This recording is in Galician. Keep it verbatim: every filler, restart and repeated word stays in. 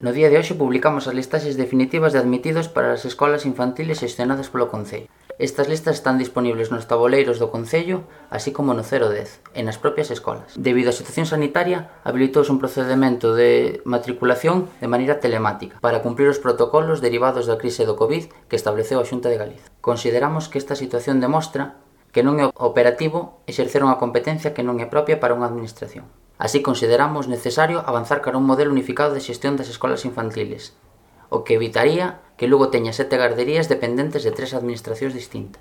No día de hoxe publicamos as listaxes definitivas de admitidos para as escolas infantiles xestionadas polo Concello. Estas listas están dispoñibles nos taboleiros do Concello, así como no cero dez, e nas propias escolas. Debido á situación sanitaria, habilitouse un procedemento de matriculación de maneira telemática para cumprir os protocolos derivados da crise do COVID que estableceu a Xunta de Galicia. Consideramos que esta situación demostra que non é operativo exercer unha competencia que non é propia para unha administración. Así consideramos necesario avanzar cara a un modelo unificado de xestión das escolas infantiles, o que evitaría que Lugo teña sete garderías dependentes de tres administracións distintas.